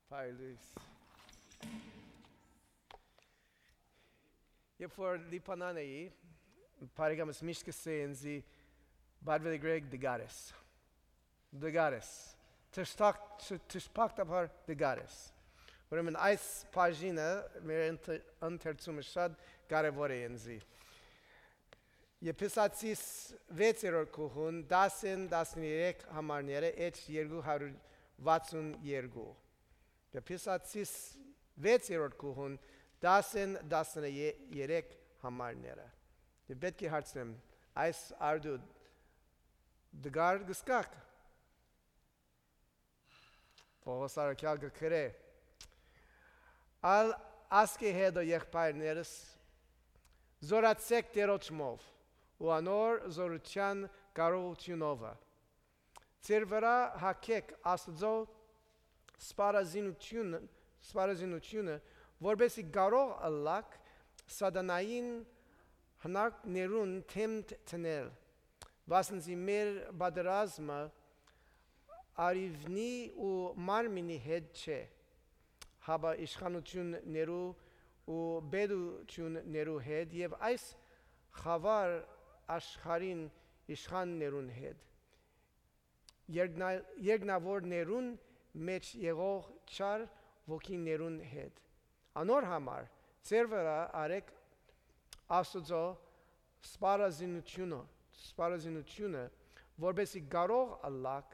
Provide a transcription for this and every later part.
Paulus. Երբ որ լիփանան էի, բարեկամս միշտ կսեին զի բարվելի գրեգ դգարես, թշպակտաբար դգարես, ուրեմն այս պաժինը մեր ընթերցումը շատ կարևոր է ինձի, Եփեսացիս 6-րդ գլխուն 10-13 համարները էջ 262 Եփեսացիս 6-րդ գլխուն 10-13 համարները Եվ պետք է հարցնեմ այս արդու դգար գսկակ Պողոս արաքյալ գրե Ալ ասկե հետո եղբայրներս զորացեք Տերոջմով ու անոր զորության կարողությունով Ձեր վրա հագեք Աստծո սպառազինությունը որպեսզի կարող ըլլաք սատանային հնարքներուն թեմ տնել վասնզի մեր պատերազմը արիվնի ու մարմինի հետ չէ հաբա իշխանություններու ու բեդություններու հետ եւ այս խավար աշխարհին իշխաններուն հետ երկնավորներուն մեջ եղող չար ոգիներուն հետ անոր համար ձեր վրա արեք Աստծո սպառազինությունը որպեսզի կարող ըլլաք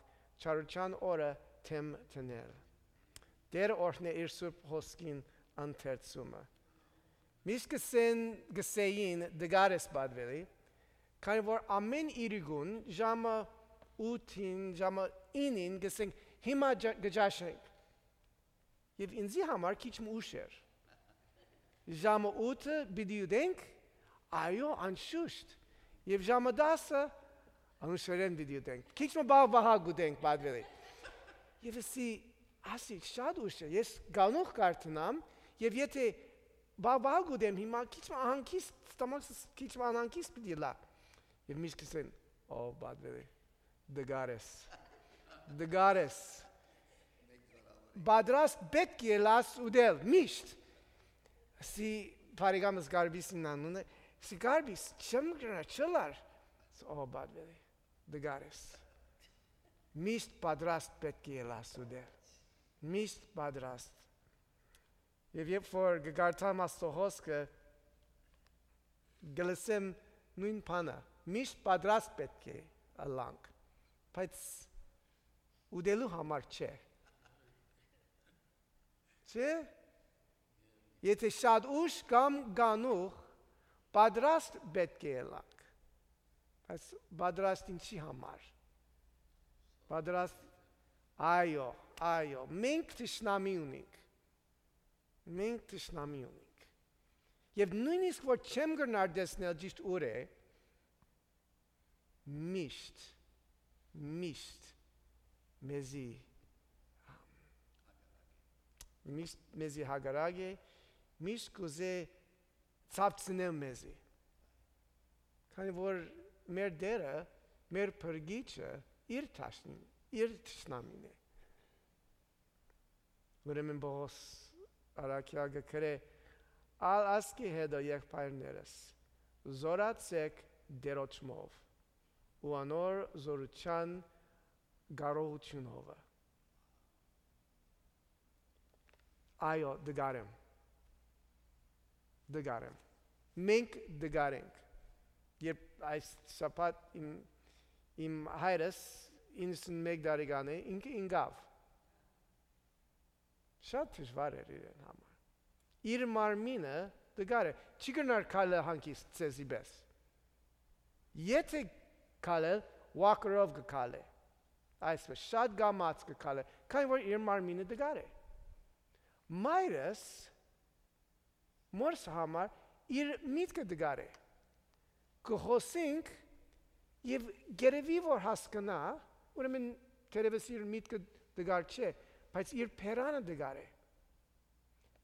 չարության օրը թեմ տնել Դեր օրհնե իր սուրբ հոսքին ընթերցումը Միշտ գսեին դգարես բադվելի քանի որ ամեն իրգուն ժամը 8-ին, ժամը 9-ին գսենք հիմա գջաշենք Եվ ինձի համար քիչ ուշ էր Ժամը 8-ը պիտի ուտենք այո անշուշտ Եվ ժամը 10-ը անշուշտ պիտի ուտենք Քիչ բաղ ուտենք բադվելի Եվ ասի շատ ուշ է ես գանուխ կարդնամ Եվ եթե բաղ ուտեմ հիմա քիչ անհանգիստ ստամոքսս քիչ անհանգիստ պիտի լա Եվ միշտ կսեն օ բադվելի դգարես Բադրաստ պետք է լաս ուդել միշտ Սի բարեկամս գարբիսին անունը Սի գարբիս չեմ գրնա չլար Օ բադվելի դգարես Միշտ բադրաստ պետք է լաս ուդել Միշտ բադրաստ Եվ երբ որ գգարտամ աստո հոսքը գլսեմ նույն բանը Միշտ բադրաստ պետք է ըլլանք Բայց ուդելու համար չէ Չէ Եթե շատ ուշ կամ գանուխ Բադրաստ պետք է ելանք Բայց բադրաստ ինչի համար Բադրաստ այո Մենք թշնամի ունենք Մենք թշնամի ունենք Եվ նույնիսկ որ չեմ գրնար դեսնել ճիշտ ուր է Միշտ մեզի հագարագ է Միշտ կուզե ծապցնել մեզի Քանի որ մեր դերը, մեր պրգիչը իր թշնամին է Ուրեմն Պողոս արաքյալ գրե Ալ ասկի հետո եղբայրներս զորացեք Տերոջմով ու անոր զորության կարողությունով Այո դգարեմ Մենք դգարենք Երբ այս շաբաթ իմ հայրս 91 տարեկան է ինքը ինգավ Շատ դժվար էր իրեն համար Իր մարմինը դգար է Չի գնար քալը հանգիստ ցեզի պես Եթե քալել walker-ով գքալե Այսպես շատ գամած գքալե Քանի որ իր մարմինը դգար է Մայրս մորս համար իր միտքը դգար է Կխոսենք և գերևի որ հասկնա Ուրեմն թերևս իր միտքը դգար չէ Բայց իր պերանը դգար է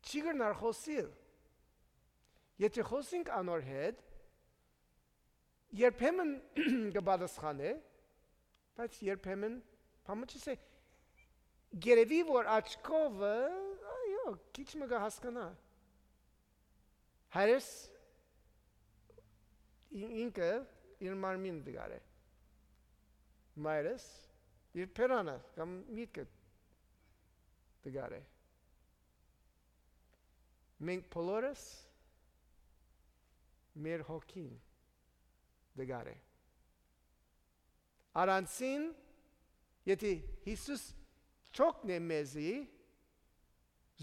Չի գրնար խոսիլ Եթե խոսենք անոր հետ Երբեմն կպատասխանե, բայց երբեմն, բամը չսե, գերեվի որ աչքովը այո քիչ մը հասկանա հայրս ինքը իր մարմին դգար է մայրս իր պերանը կամ միտքը դգար է մենք բոլորս մեր հոգին դգար է Արանցին եթե Հիսուս չօգնի մեզի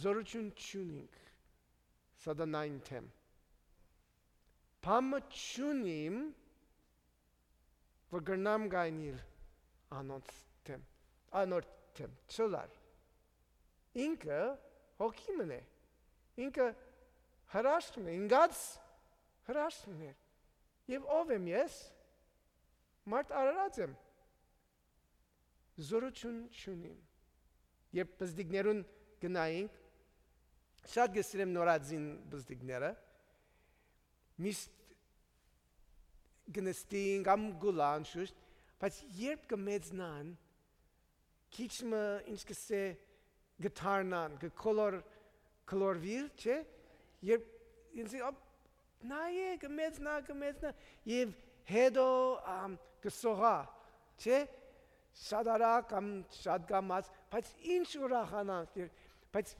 զորություն չունենք սատանային թեմ Փամը չունիմ որ գրնամ գայնիլ անոնց թեմ չլար ինքը հոգիմն է ինքը հրաշքն է ինգած հրաշքն է եւ ով եմ ես մարդ արարած եմ զորություն չունիմ երբ բզդիկներուն գնայինք շատ գսրեմ նորածին բզդիկները միստ գնստին կամ գուլան շուշտ բայց երբ կմեծնան քիչ մը ինչ կսե գտարնան կոլորվիլ չէ երբ ինձ նայե կմեծնա եւ հետո կսողա չէ շատ արագ կամ շատ գամած բայց ինչ ուրախանանք բայց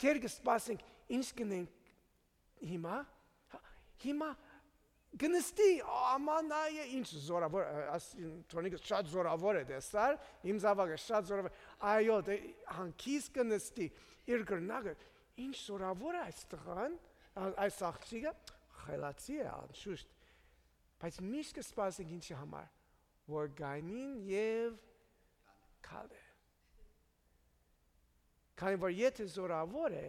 դեր կսպասենք ինչ կնենք հիմա գնստի աման այ ինչ զորավոր ասինտոնիկը շատ զորավոր է դեսար իմ զավակը շատ զորավոր այո հանկիս կնստի իր գրնագը ինչ զորավոր է այս տղան այս աղջիկը խելացի է անշուշտ բայց միշտ կսպասենք ինչի համար որ գայնին եւ քալե քանի որ եթե զորավոր է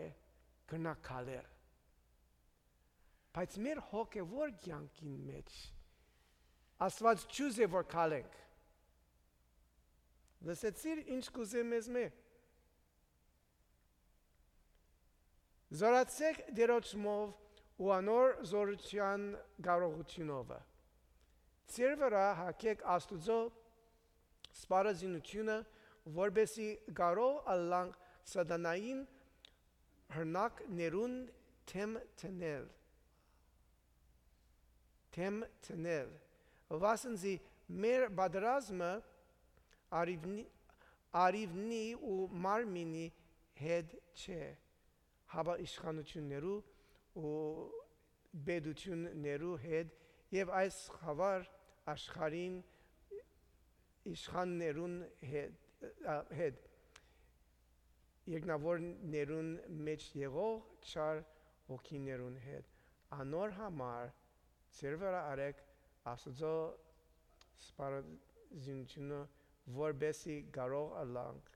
կնա քալեր բայց մեր հոգևոր կյանքին մեջ Աստված չուզե որ քալենք լսեցիր ինչ կուզե մեզ զորացեք դերոճմով ու անոր զորության կարողությունով Ձեր վրա հակեք Աստուծո սպառազինությունը որբեսի կարող ալանք սատանային հրնակներուն թեմ տնել վասնզի մեր բادرազմը արիվնի ու մարմինի հետ չէ հավա իշխանություններու ու բեդություններու հետ եւ այս խավար աշխարհին իշխաններուն հետ երկնավորներուն մեջ եղող չար հոգիներուն հետ անոր համար ձեր վրա արեք Աստծո սպառազինությունը որբեսի կարող ալանք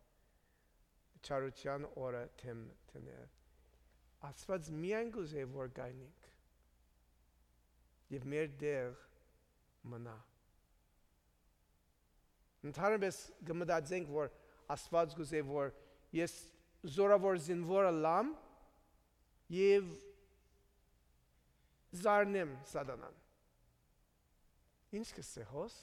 չարության օրը թեմ տնել Աստված միայն գուզե որ գայնենք եւ մեր դեր մնա Ընդհանրապես գմդածենք որ Աստված գուզե որ ես զորավոր զինվոր լամ եւ զարնեմ սատանան Ինչ կսե հոս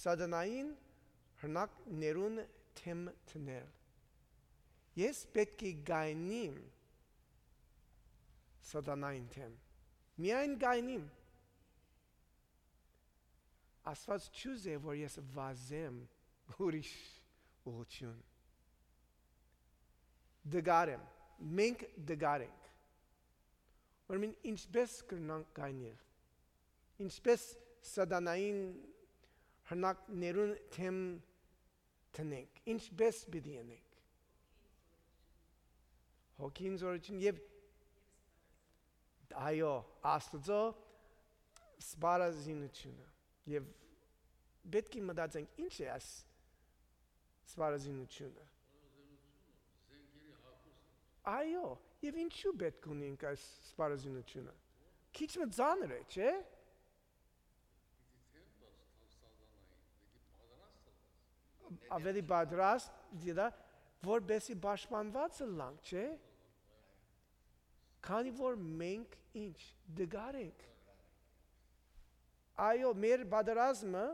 սատանային հրնակներուն թեմ տնել Ես պետք է գայնիմ սատանային թեմ Միայն գայնիմ Աստված չուզե որ ես վազեմ ուրիշ ուղղություն Դգարեմ մենք դգարենք Ուրեմն ինչպես կրնանք գայնել Ինչպես սատանային հրնակներուն թեմ տնենք Ինչպես պիտի անենք Հոգին զորություն եւ այո Աստծո սպառազինությունը եւ պետք է մտածենք ինչ է այս սպառազինությունը Այո եւ ինչու պետք ունենք այս սպառազինությունը քիչ մը ծանր է չէ ավելի պատրաստ դիա որբեսի պաշտպանված լանք չէ քանի որ մենք ինչ դգար ենք այո, մեր բادرազմը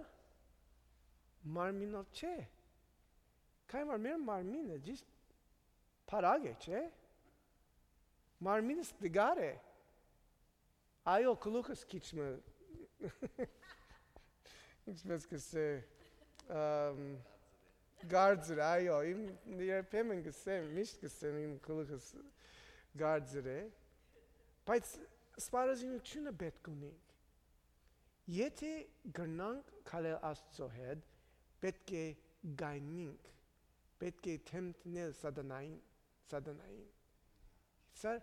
մարմինով չէ։ Քանի որ մեր մարմինը ճիշտ փարագ է, չէ։ Մարմինը ստգար է։ Այո, գլուխս քիչմը ինչպես կսե գարձր, այո, իմ երբեմն կսեմ, միշտ կսեմ իմ գլուխս գարձր է, բայց սպառազինությունը պետք ունենք։ Եթե գնանք քալել Աստծո հետ, պետք է գայնենք, պետք է թեմտնել սատանային։ Սա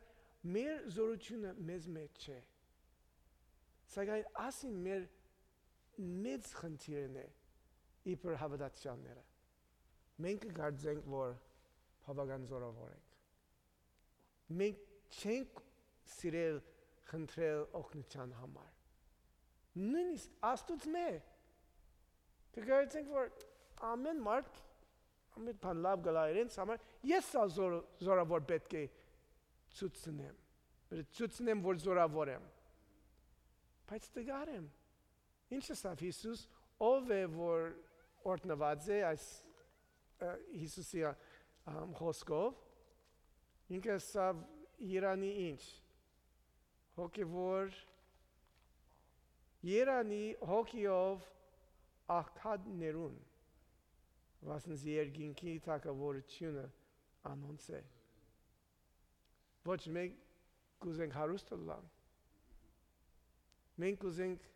մեր զորությունը մեզ մեջ չէ։ Սակայն ասին մեր մեծ խնդիրն է իբր հավատացյալները։ Մենք կարծենք, որ բավական զորավոր ենք։ Մենք չենք սիրել խնդրել օգնության համար։ Նույնիսկ Աստծո մեր կգործենք, որ ամեն մարդ ամեն բան լավ գալա իրենց համար, ես զորավոր պետք է ցույցնեմ, ցույցնեմ, որ զորավոր եմ։ Բայց տգար եմ։ Ինչ ասավ Հիսուս, ով է որ օրհնված է այս Հիսուսի խոսքով, ինքը ասավ Երանի ինչ, հոգևոր, Երանի հոգիով աղքատներուն, վասնզ երկինքի թագավորությունը անոնց է։ Ոչ մենք կուզենք հարուստ ալան, մենք կուզենք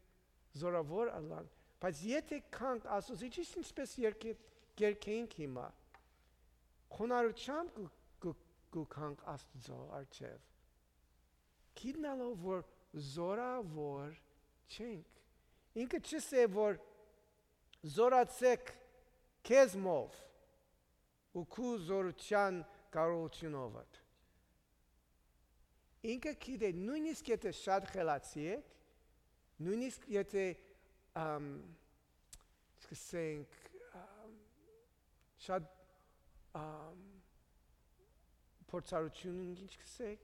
զորավոր ալան, բայց եթե կանք Աստծո, ինչպես երկենք հիմա, խոնարհությամբ կկանք Աստծո առջև, գիտնալով, որ զորավոր չենք։ Ինքը չսե, որ զորացեք քեզմով ու քու զորության կարողությունով։ Ինքը գիտե, նույնիսկ եթե շատ խելացի եք, նույնիսկ եթե սկսենք շատ փորձառություն ինչ կսեք,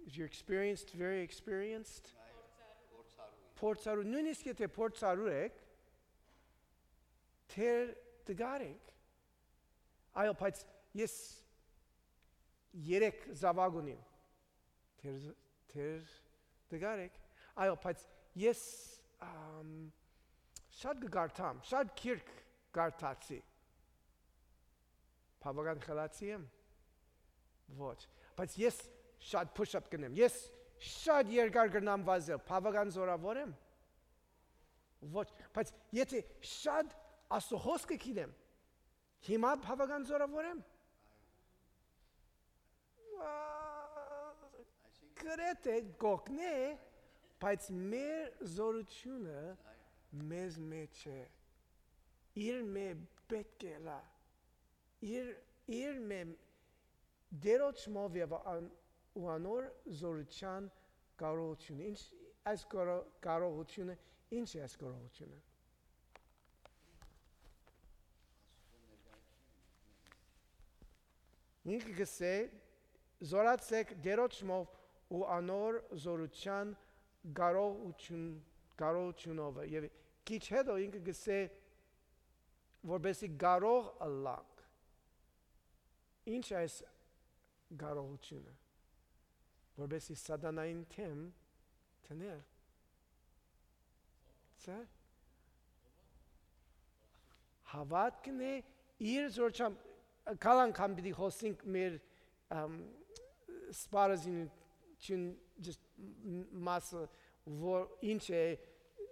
if you're experienced, very experienced, փորձառու, նույնիսկ եթե փորձառու եք, թեր տգար եք, այո, բայց ես երեք զավակ ունիմ, թեր տգար եք, այո, բայց ես շատ կգարթամ, շատ քիրք գարթացի, բավական խելացի եմ, ոչ, բայց ես շատ push-up կնեմ, ես շատ երկար կրնամ վազել, բավական զորավոր եմ, ոչ, բայց եթե շատ Աստծո խոսքը գիտեմ, հիմա բավական զորավոր եմ, գրեթե գոհնե, բայց մեր զորությունը մեզ մեջ է, իր մե պետք է լա, իր մե դերոճմով և ու անոր զորության կարողությունը, այս կարողությունը, ինչ է այս կարողությունը, ինքը գսե, զորացեք դերոճմով ու անոր զորության կարողությունով և քիչ հետո ինքը գսե, որպեսզի կարող ըլլանք, ինչ այս կարողությունը, որպեսզի սատանային թեմ տնել, հավատքն է իր զորությամբ, կալ անգամ պիտի խոսենք մեր սպառազինություն մասը, որ ինչ է